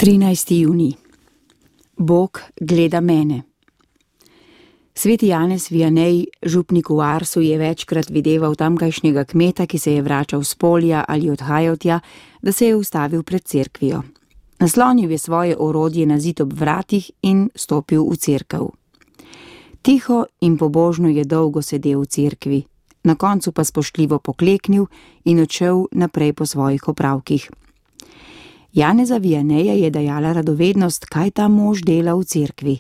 13. junij. Bog gleda mene. Sveti Janez Vianney, župnik v Arsu, je večkrat videval tamkajšnjega kmeta, ki se je vračal s polja ali odhajal tja, da se je ustavil pred cerkvijo. Naslonil je svoje orodje na zid ob vratih in stopil v cerkev. Tiho in pobožno je dolgo sedel v cerkvi, na koncu pa spoštljivo pokleknil in odšel naprej po svojih opravkih. Janeza Vianneya je dajala radovednost, kaj ta mož dela v cerkvi.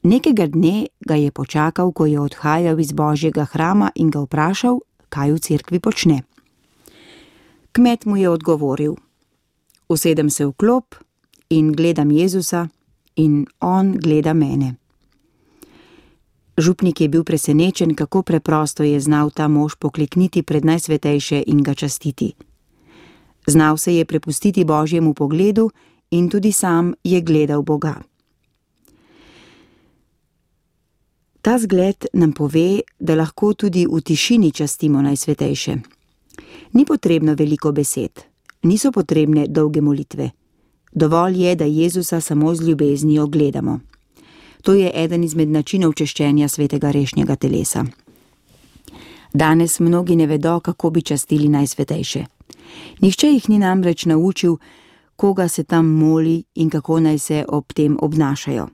Nekega dne ga je počakal, ko je odhajal iz Božjega hrama, in ga vprašal, kaj v cerkvi počne. Kmet mu je odgovoril: usedem se v klop in gledam Jezusa in on gleda mene. Župnik je bil presenečen, kako preprosto je znal ta mož poklekniti pred Najsvetejše in ga častiti. Znal se je prepustiti Božjemu pogledu in tudi sam je gledal Boga. Ta zgled nam pove, da lahko tudi v tišini častimo Najsvetejše. Ni potrebno veliko besed, niso potrebne dolge molitve. Dovolj je, da Jezusa samo z ljubeznijo gledamo. To je eden izmed načinov češčenja svetega rešnjega telesa. Danes mnogi ne vedo, kako bi častili Najsvetejše. Nihče jih ni namreč naučil, koga se tam moli in kako naj se ob tem obnašajo.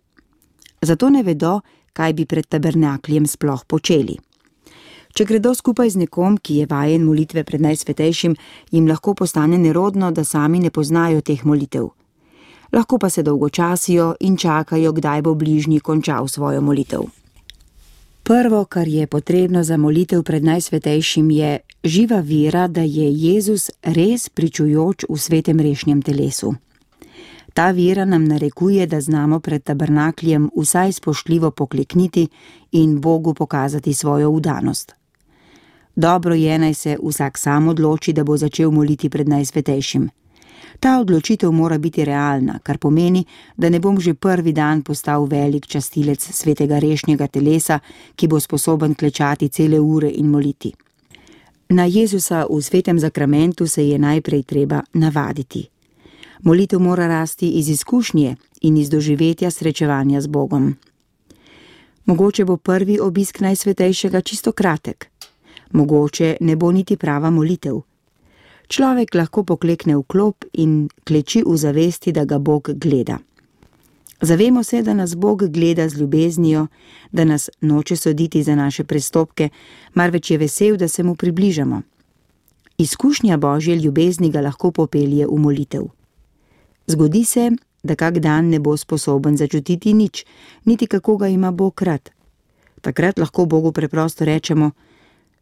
Zato ne vedo, kaj bi pred tabernakljem sploh počeli. Če gredo skupaj z nekom, ki je vajen molitve pred Najsvetejšim, jim lahko postane nerodno, da sami ne poznajo teh molitev. Lahko pa se dolgočasijo in čakajo, kdaj bo bližnji končal svojo molitev. Prvo, kar je potrebno za molitev pred Najsvetejšim, je živa vera, da je Jezus res pričujoč v svetem rešnjem telesu. Ta vera nam narekuje, da znamo pred tabernakljem vsaj spoštljivo poklekniti in Bogu pokazati svojo vdanost. Dobro je, naj se vsak sam odloči, da bo začel moliti pred Najsvetejšim. Ta odločitev mora biti realna, kar pomeni, da ne bom že prvi dan postal velik častilec svetega rešnjega telesa, ki bo sposoben klečati cele ure in moliti. Na Jezusa v svetem zakramentu se je najprej treba navaditi. Molitev mora rasti iz izkušnje in iz doživetja srečevanja z Bogom. Mogoče bo prvi obisk Najsvetejšega čisto kratek. Mogoče ne bo niti prava molitev. Človek lahko poklekne v klop in kleči v zavesti, da ga Bog gleda. Zavemo se, da nas Bog gleda z ljubeznijo, da nas noče soditi za naše prestopke, marveč je vesel, da se mu približamo. Izkušnja Božje ljubezni ga lahko popelje v molitev. Zgodi se, da kak dan ne bo sposoben začutiti nič, niti kako ga ima Bog rad. Takrat lahko Bogu preprosto rečemo: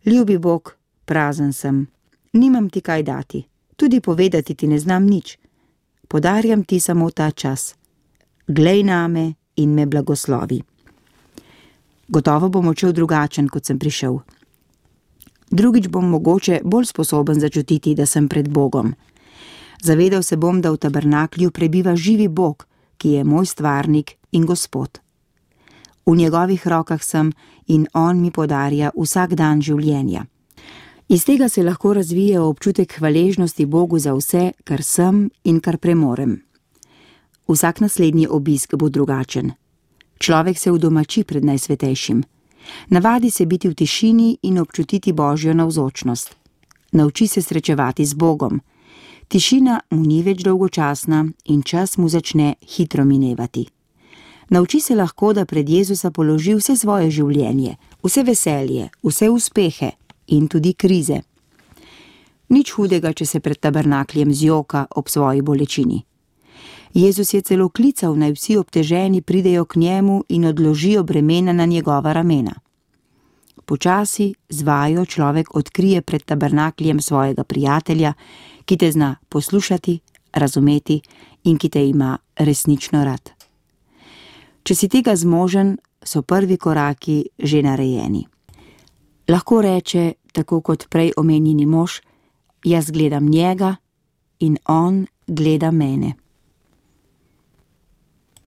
ljubi Bog, prazen sem, nimam ti kaj dati, tudi povedati ti ne znam nič. Podarjam ti samo ta čas. Glej name in me blagoslovi. Gotovo bom odšel drugačen, kot sem prišel. Drugič bom mogoče bolj sposoben začutiti, da sem pred Bogom. Zavedal se bom, da v tabernaklju prebiva živi Bog, ki je moj stvarnik in Gospod. V njegovih rokah sem in on mi podarja vsak dan življenja. Iz tega se lahko razvije občutek hvaležnosti Bogu za vse, kar sem in kar premorem. Vsak naslednji obisk bo drugačen. Človek se udomači pred Najsvetejšim. Navadi se biti v tišini in občutiti Božjo navzočnost. Nauči se srečevati z Bogom. Tišina mu ni več dolgočasna in čas mu začne hitro minevati. Nauči se lahko, da pred Jezusa položi vse svoje življenje, vse veselje, vse uspehe in tudi krize. Nič hudega, če se pred tabernakljem zjoka ob svoji bolečini. Jezus je celo klical, naj vsi obteženi pridejo k njemu in odložijo bremena na njegova ramena. Počasi, z vajo človek odkrije pred tabernakljem svojega prijatelja, ki te zna poslušati, razumeti in ki te ima resnično rad. Če si tega zmožen, so prvi koraki že narejeni. Lahko reče, tako kot prej omenjeni mož: jaz gledam njega in on gleda mene.